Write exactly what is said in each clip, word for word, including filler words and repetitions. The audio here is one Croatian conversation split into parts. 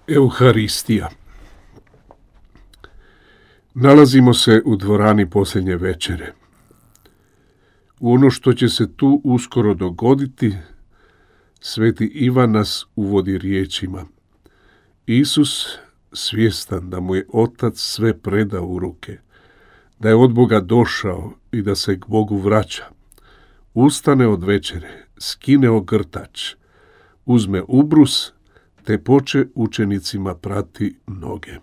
Euharistija. Nalazimo se u dvorani posljednje večere. U ono što će se tu uskoro dogoditi, sveti Ivan nas uvodi riječima. Isus, svjestan da mu je Otac sve predao u ruke, da je od Boga došao i da se k Bogu vraća, ustane od večere, skine ogrtač, uzme ubrus, te poče učenicima prati noge.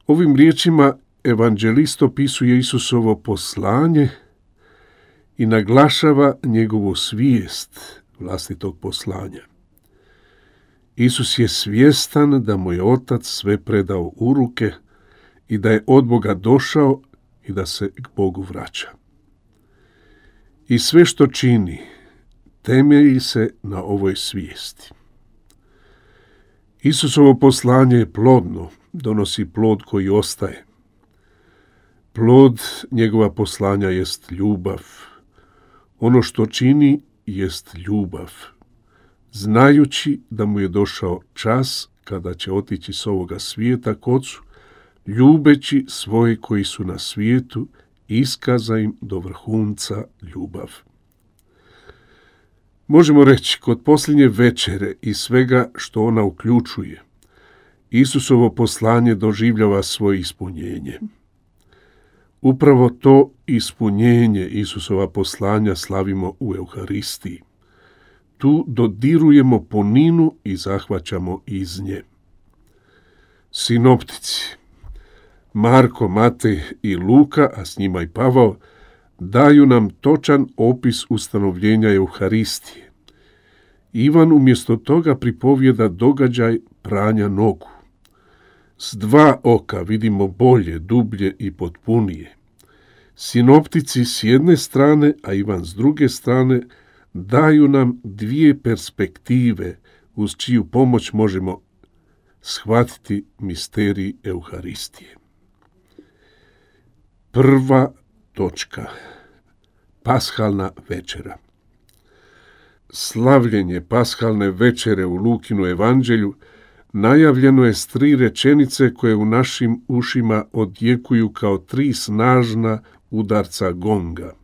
Ovim riječima evanđelist opisuje Isusovo poslanje i naglašava njegovu svijest vlastitog poslanja. Isus je svjestan da mu je Otac sve predao u ruke i da je od Boga došao i da se k Bogu vraća. I sve što čini temelji se na ovoj svijesti. Isusovo poslanje je plodno, donosi plod koji ostaje. Plod njegova poslanja jest ljubav. Ono što čini jest ljubav, znajući da mu je došao čas kada će otići s ovoga svijeta k Ocu, ljubeći svoje koji su na svijetu, iskaza im do vrhunca ljubav. Možemo reći, kod posljednje večere i svega što ona uključuje, Isusovo poslanje doživljava svoje ispunjenje. Upravo to ispunjenje Isusova poslanja slavimo u Euharistiji. Tu dodirujemo puninu i zahvaćamo iz nje. Sinoptici, Marko, Matej i Luka, a s njima i Pavao, daju nam točan opis ustanovljenja Euharistije. Ivan umjesto toga pripovijeda događaj pranja nogu. S dva oka vidimo bolje, dublje i potpunije. Sinoptici s jedne strane, a Ivan s druge strane, daju nam dvije perspektive uz čiju pomoć možemo shvatiti misterij Euharistije. Prva točka. Pashalna večera. Slavljenje pashalne večere u Lukinu evanđelju najavljeno je s tri rečenice koje u našim ušima odjekuju kao tri snažna udarca gonga.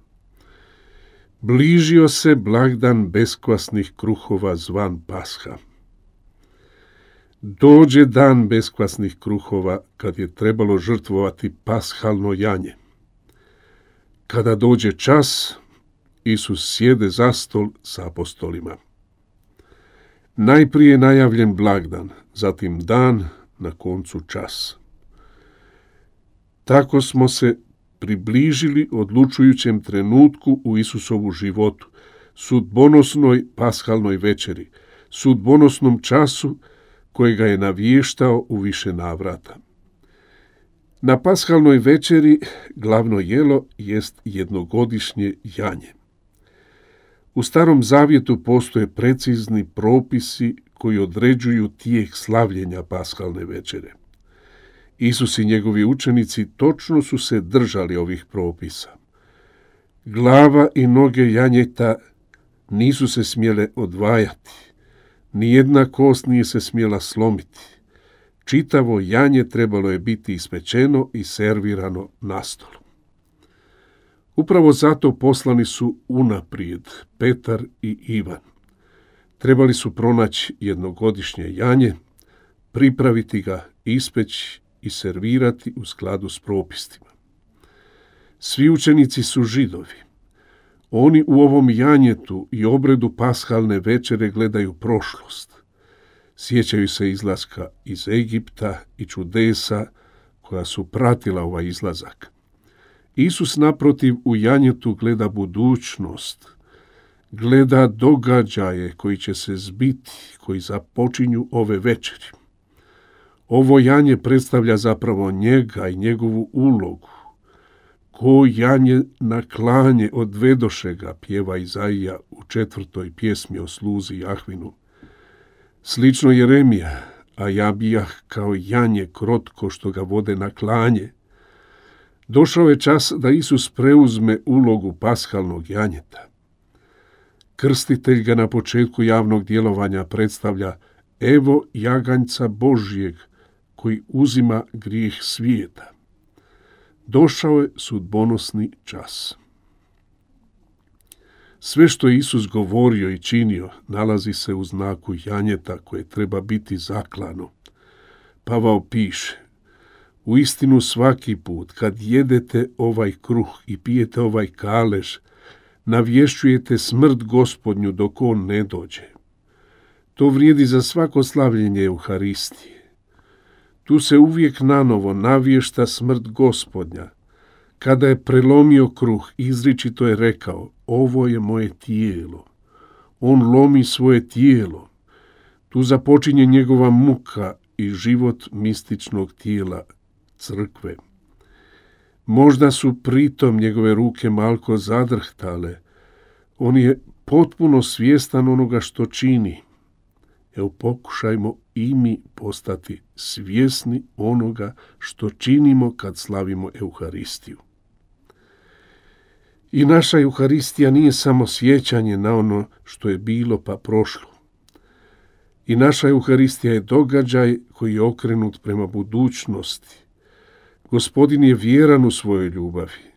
Bližio se blagdan beskvasnih kruhova zvan Pasha. Dođe dan beskvasnih kruhova kad je trebalo žrtvovati pashalno janje. Kada dođe čas, Isus sjede za stol sa apostolima. Najprije najavljen blagdan, zatim dan, na koncu čas. Tako smo se približili odlučujućem trenutku u Isusovu životu, sudbonosnoj pashalnoj večeri, sudbonosnom času kojega je navještao u više navrata. Na pashalnoj večeri glavno jelo jest jednogodišnje janje. U Starom zavjetu postoje precizni propisi koji određuju tijek slavljenja pashalne večere. Isus i njegovi učenici točno su se držali ovih propisa. Glava i noge janjeta nisu se smjele odvajati, nijedna kost nije se smjela slomiti. Čitavo janje trebalo je biti ispečeno i servirano na stolu. Upravo zato poslani su unaprijed Petar i Ivan. Trebali su pronaći jednogodišnje janje, pripraviti ga, ispeći i servirati u skladu s propisima. Svi učenici su Židovi. Oni u ovom janjetu i obredu pashalne večere gledaju prošlost. Sjećaju se izlaska iz Egipta i čudesa koja su pratila ovaj izlazak. Isus naprotiv u janjetu gleda budućnost, gleda događaje koji će se zbiti, koji započinju ove večeri. Ovo janje predstavlja zapravo njega i njegovu ulogu. Ko janje na klanje odvedoše ga, pjeva Izaija u četvrtoj pjesmi o sluzi Jahvinu. Slično Jeremija, a ja bijah kao janje krotko što ga vode na klanje. Došao je čas da Isus preuzme ulogu pashalnog janjeta. Krstitelj ga na početku javnog djelovanja predstavlja evo jaganjca Božjeg koji uzima grijeh svijeta. Došao je sudbonosni čas. Sve što je Isus govorio i činio nalazi se u znaku janjeta koje treba biti zaklano. Pavao piše: uistinu svaki put kad jedete ovaj kruh i pijete ovaj kalež, navješćujete smrt Gospodnju dok on ne dođe. To vrijedi za svako slavljenje Euharistije. Tu se uvijek nanovo navješta smrt Gospodnja. Kada je prelomio kruh, izričito je rekao: ovo je moje tijelo. On lomi svoje tijelo. Tu započinje njegova muka i život mističnog tijela crkve. Možda su pritom njegove ruke malko zadrhtale. On je potpuno svjestan onoga što čini. Evo, pokušajmo i mi postati svjesni onoga što činimo kad slavimo Euharistiju. I naša Euharistija nije samo sjećanje na ono što je bilo pa prošlo. I naša Euharistija je događaj koji je okrenut prema budućnosti. Gospodin je vjeran u svojoj ljubavi.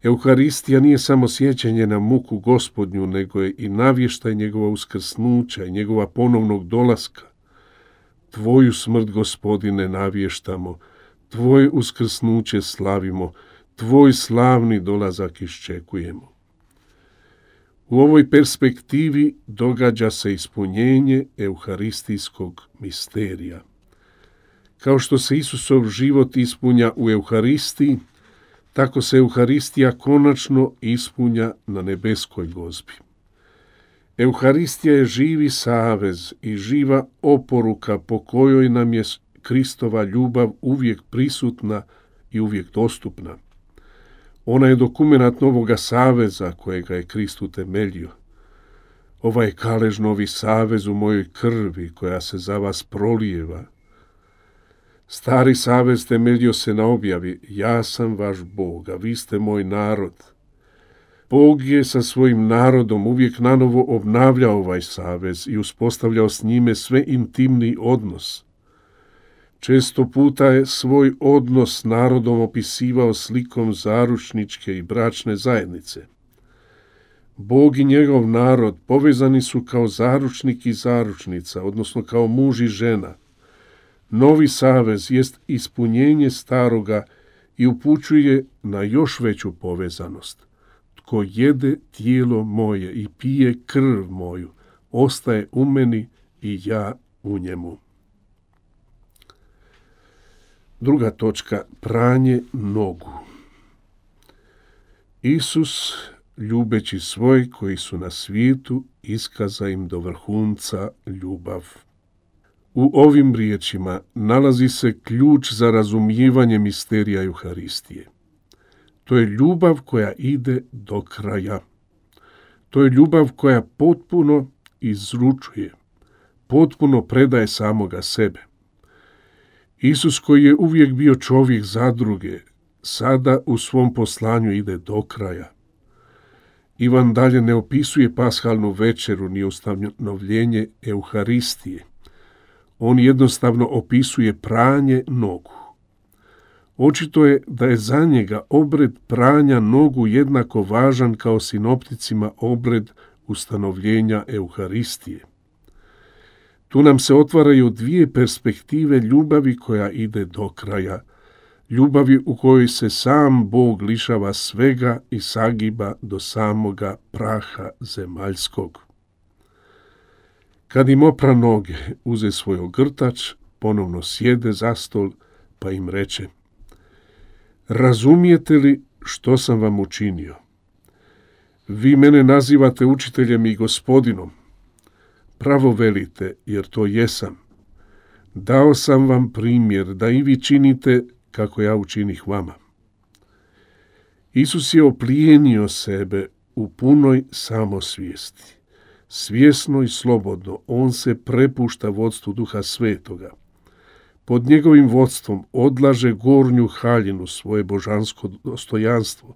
Euharistija nije samo sjećanje na muku Gospodnju, nego je i navještaj njegova uskrsnuća i njegova ponovnog dolaska. Tvoju smrt, Gospodine, navještamo, tvoje uskrsnuće slavimo, tvoj slavni dolazak iščekujemo. U ovoj perspektivi događa se ispunjenje euharistijskog misterija. Kao što se Isusov život ispunja u Euharistiji, tako se Euharistija konačno ispunja na nebeskoj gozbi. Euharistija je živi savez i živa oporuka po kojoj nam je Kristova ljubav uvijek prisutna i uvijek dostupna. Ona je dokumenat novoga saveza kojega je Krist utemeljio. Ovaj kalež novi savez u mojoj krvi koja se za vas prolijeva. Stari savez temeljio se na objavi: ja sam vaš Bog, a vi ste moj narod. Bog je sa svojim narodom uvijek nanovo obnavljao ovaj savez i uspostavljao s njime sve intimniji odnos. Često puta je svoj odnos s narodom opisivao slikom zaručničke i bračne zajednice. Bog i njegov narod povezani su kao zaručnik i zaručnica, odnosno kao muž i žena. Novi savez jest ispunjenje staroga i upućuje na još veću povezanost. Tko jede tijelo moje i pije krv moju, ostaje u meni i ja u njemu. Druga točka, pranje nogu. Isus, ljubeći svoj koji su na svijetu, iskaza im do vrhunca ljubav. U ovim riječima nalazi se ključ za razumijevanje misterija Euharistije. To je ljubav koja ide do kraja. To je ljubav koja potpuno izručuje, potpuno predaje samoga sebe. Isus, koji je uvijek bio čovjek za druge, sada u svom poslanju ide do kraja. Ivan dalje ne opisuje pashalnu večeru ni ustanovljenje Euharistije. On jednostavno opisuje pranje nogu. Očito je da je za njega obred pranja nogu jednako važan kao sinopticima obred ustanovljenja Euharistije. Tu nam se otvaraju dvije perspektive ljubavi koja ide do kraja, ljubavi u kojoj se sam Bog lišava svega i sagiba do samoga praha zemaljskog. Kad im opra noge, uze svoj ogrtač, ponovno sjede za stol, pa im reče: razumijete li što sam vam učinio? Vi mene nazivate učiteljem i gospodinom. Pravo velite, jer to jesam. Dao sam vam primjer da i vi činite kako ja učinih vama. Isus je oplijenio sebe u punoj samosvijesti. Svjesno i slobodno on se prepušta vodstvu Duha Svetoga. Pod njegovim vodstvom odlaže gornju haljinu, svoje božansko dostojanstvo,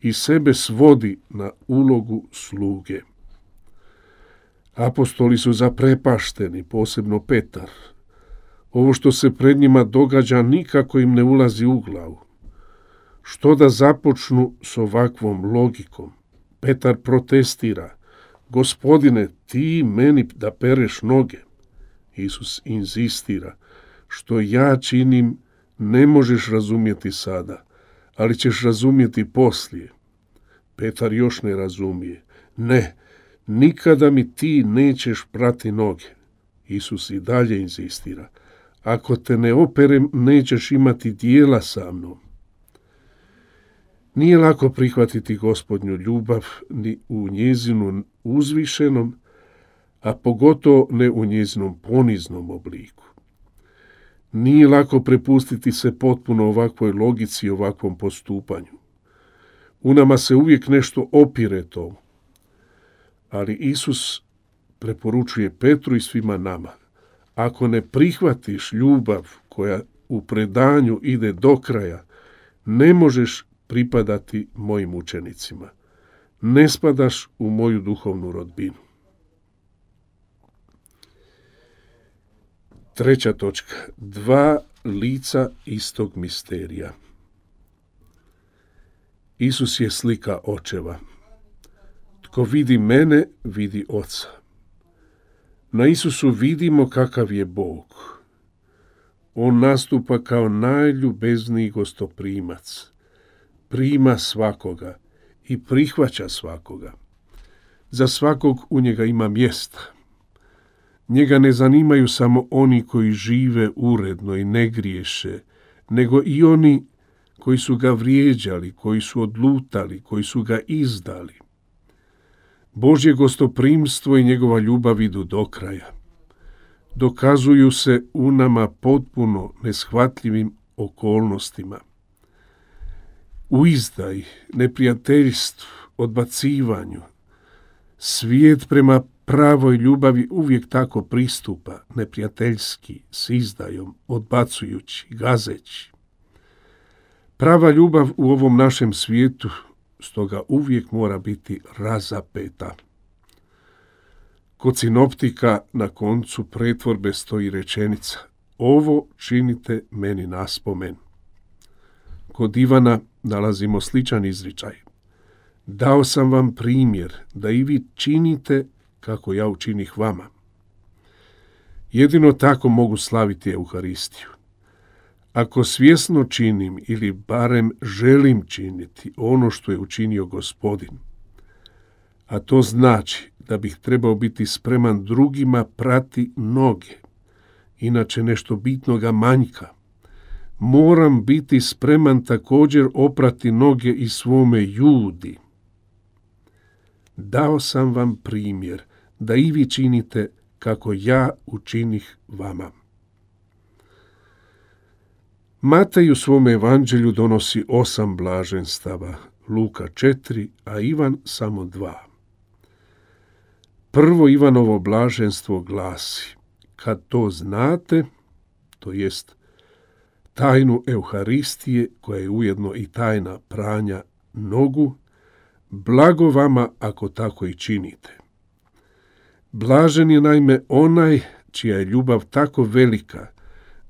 i sebe svodi na ulogu sluge. Apostoli su zaprepašteni, posebno Petar. Ovo što se pred njima događa nikako im ne ulazi u glavu. Što da započnu s ovakvom logikom? Petar protestira. Gospodine, ti meni da pereš noge. Isus inzistira. Što ja činim ne možeš razumjeti sada, ali ćeš razumjeti poslije. Petar još ne razumije. Ne, nikada mi ti nećeš prati noge. Isus i dalje inzistira. Ako te ne operem, nećeš imati dijela sa mnom. Nije lako prihvatiti Gospodnju ljubav ni u njezinu uzvišenom, a pogotovo ne u njezinom poniznom obliku. Nije lako prepustiti se potpuno ovakvoj logici i ovakvom postupanju. U nama se uvijek nešto opire tomu. Ali Isus preporučuje Petru i svima nama. Ako ne prihvatiš ljubav koja u predanju ide do kraja, ne možeš pripadati mojim učenicima. Ne spadaš u moju duhovnu rodbinu. Treća točka. Dva lica istog misterija. Isus je slika očeva. Tko vidi mene, vidi Oca. Na Isusu vidimo kakav je Bog. On nastupa kao najljubezniji gostoprimac. Prima svakoga i prihvaća svakoga. Za svakog u njega ima mjesta. Njega ne zanimaju samo oni koji žive uredno i ne griješe, nego i oni koji su ga vrijeđali, koji su odlutali, koji su ga izdali. Božje gostoprimstvo i njegova ljubav idu do kraja. Dokazuju se u nama potpuno neshvatljivim okolnostima. U izdaji, neprijateljstvu, odbacivanju, svijet prema pravoj ljubavi uvijek tako pristupa, neprijateljski, s izdajom, odbacujući, gazeći. Prava ljubav u ovom našem svijetu stoga uvijek mora biti razapeta. Kod sinoptika na koncu pretvorbe stoji rečenica: ovo činite meni naspomen. Kod Ivana nalazimo sličan izričaj: dao sam vam primjer da i vi činite kako ja učinih vama. Jedino tako mogu slaviti Euharistiju. Ako svjesno činim ili barem želim činiti ono što je učinio Gospodin, a to znači da bih trebao biti spreman drugima prati noge, inače nešto bitnoga manjka, moram biti spreman također oprati noge i svome Judi. Dao sam vam primjer da i vi činite kako ja učinih vama. Matej u svom evanđelju donosi osam blaženstava, Luka četiri, a Ivan samo dva. Prvo Ivanovo blaženstvo glasi: kad to znate, to jest tajnu Euharistije, koja je ujedno i tajna pranja nogu, blago vama ako tako i činite. Blažen je naime onaj čija je ljubav tako velika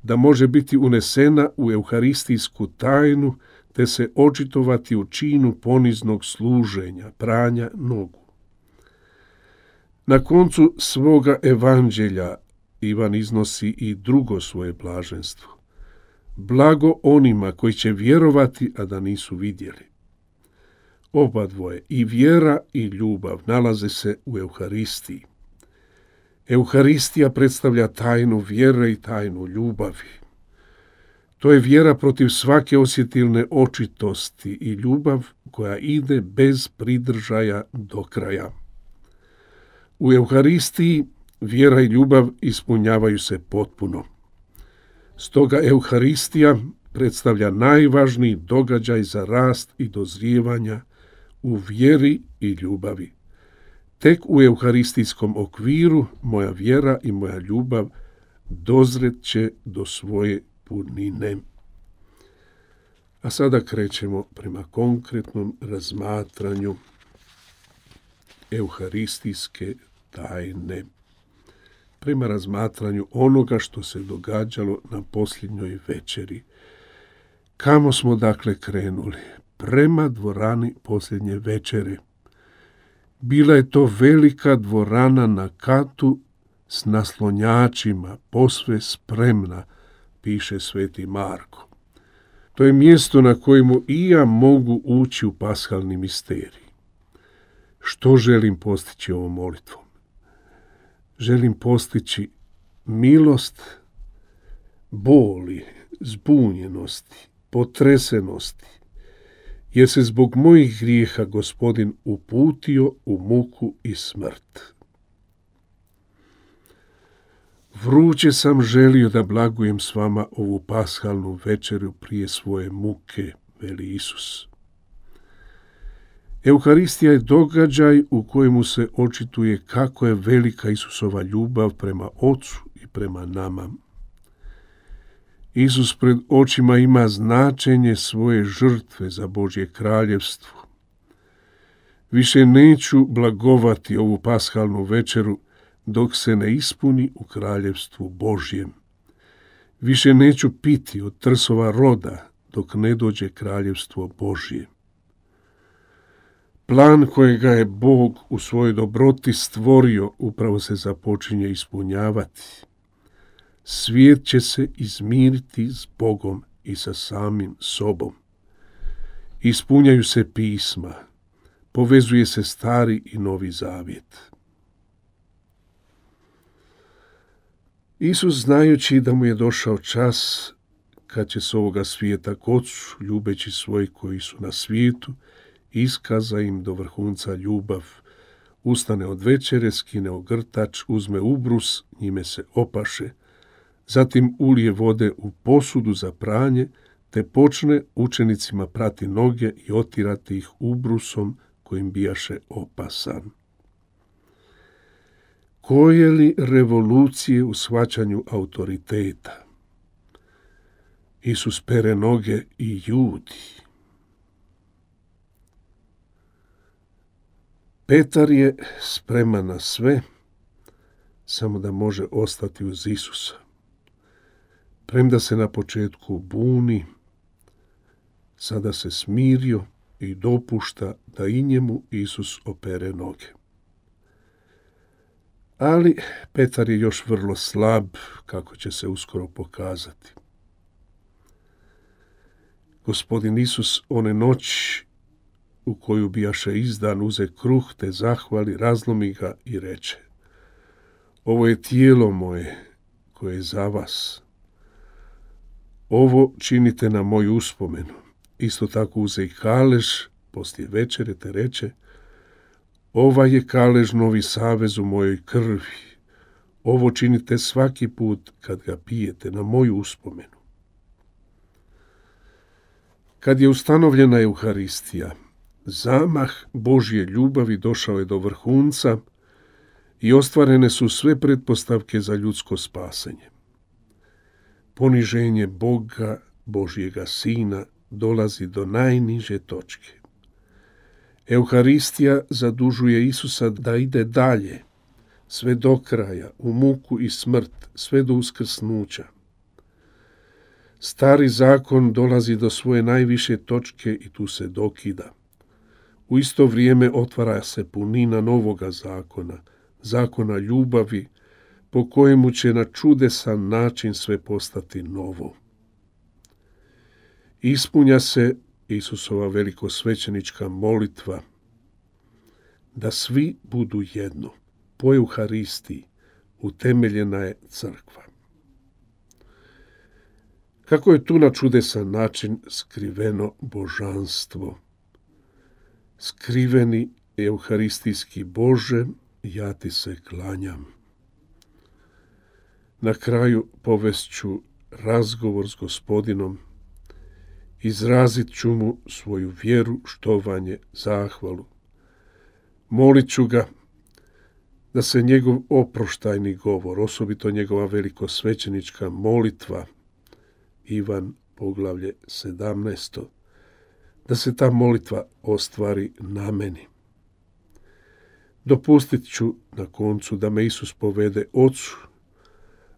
da može biti unesena u euharistijsku tajnu te se očitovati u činu poniznog služenja, pranja nogu. Na koncu svoga evanđelja Ivan iznosi i drugo svoje blaženstvo. Blago onima koji će vjerovati, a da nisu vidjeli. Oba dvoje, i vjera i ljubav, nalaze se u Euharistiji. Euharistija predstavlja tajnu vjere i tajnu ljubavi. To je vjera protiv svake osjetilne očitosti i ljubav koja ide bez pridržaja do kraja. U Euharistiji vjera i ljubav ispunjavaju se potpuno. Stoga Euharistija predstavlja najvažniji događaj za rast i dozrijevanja u vjeri i ljubavi. Tek u euharistijskom okviru moja vjera i moja ljubav dozret će do svoje punine. A sada krećemo prema konkretnom razmatranju euharistijske tajne. Prema razmatranju onoga što se događalo na posljednjoj večeri. Kamo smo dakle krenuli? Prema dvorani posljednje večere. Bila je to velika dvorana na katu s naslonjačima, posve spremna, piše sveti Marko. To je mjesto na kojemu i ja mogu ući u paskalni misterij. Što želim postići ovom molitvom? Želim postići milost boli, zbunjenosti, potresenosti, jer se zbog mojih grijeha Gospodin uputio u muku i smrt. Vruće sam želio da blagujem s vama ovu paskalnu večeru prije svoje muke, veli Isus. Euharistija je događaj u kojemu se očituje kako je velika Isusova ljubav prema Ocu i prema nama. Isus pred očima ima značenje svoje žrtve za Božje kraljevstvo. Više neću blagovati ovu paskalnu večeru dok se ne ispuni u kraljevstvu Božjem. Više neću piti od trsova roda dok ne dođe kraljevstvo Božje. Plan kojega je Bog u svojoj dobroti stvorio upravo se započinje ispunjavati. Svijet će se izmiriti s Bogom i sa samim sobom. Ispunjaju se pisma, povezuje se stari i novi zavjet. Isus, znajući da mu je došao čas kad će s ovoga svijeta k Ocu, ljubeći svoje koji su na svijetu, iskaza im do vrhunca ljubav, ustane od večere, skine ogrtač, uzme ubrus, njime se opaše, zatim ulije vode u posudu za pranje, te počne učenicima prati noge i otirati ih ubrusom kojim bijaše opasan. Koje li revolucije u shvaćanju autoriteta? Isus pere noge i ljudi. Petar je spreman na sve, samo da može ostati uz Isusa. Premda se na početku buni, sada se smirio i dopušta da i njemu Isus opere noge. Ali Petar je još vrlo slab, kako će se uskoro pokazati. Gospodin Isus one noći u koju bijaše izdan uze kruh te zahvali, razlomi ga i reče: ovo je tijelo moje koje je za vas. Ovo činite na moju uspomenu. Isto tako uze i kalež poslije večere te reče: ovaj je kalež novi savez u mojoj krvi. Ovo činite svaki put kad ga pijete na moju uspomenu. Kad je ustanovljena Euharistija, zamah Božje ljubavi došao je do vrhunca i ostvarene su sve pretpostavke za ljudsko spasenje. Poniženje Boga, Božjega Sina, dolazi do najniže točke. Euharistija zadužuje Isusa da ide dalje, sve do kraja, u muku i smrt, sve do uskrsnuća. Stari zakon dolazi do svoje najviše točke i tu se dokida. U isto vrijeme otvara se punina novoga zakona, zakona ljubavi, po kojemu će na čudesan način sve postati novo. Ispunja se Isusova velikosvećenička molitva da svi budu jedno. Po Euharistiji utemeljena je crkva. Kako je tu na čudesan način skriveno božanstvo? Skriveni euharistijski Bože, ja ti se klanjam. Na kraju povest ću razgovor s Gospodinom, izrazit ću mu svoju vjeru, štovanje, zahvalu. Molit ću ga da se njegov oproštajni govor, osobito njegova velikosvećenička molitva, Ivan poglavlje sedamnaesto, da se ta molitva ostvari na meni. Dopustit ću na koncu da me Isus povede Ocu,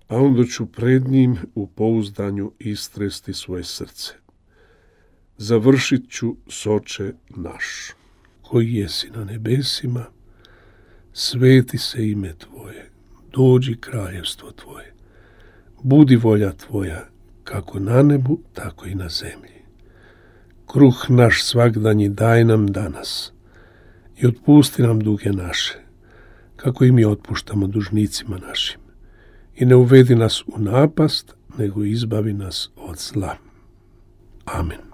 a onda ću pred njim u pouzdanju istresti svoje srce. Završit ću s Oče naš, koji jesi na nebesima, sveti se ime Tvoje, dođi kraljevstvo Tvoje, budi volja Tvoja, kako na nebu, tako i na zemlji. Kruh naš svagdanji daj nam danas i otpusti nam duge naše, kako i mi otpuštamo dužnicima našim. I ne uvedi nas u napast, nego izbavi nas od zla. Amen.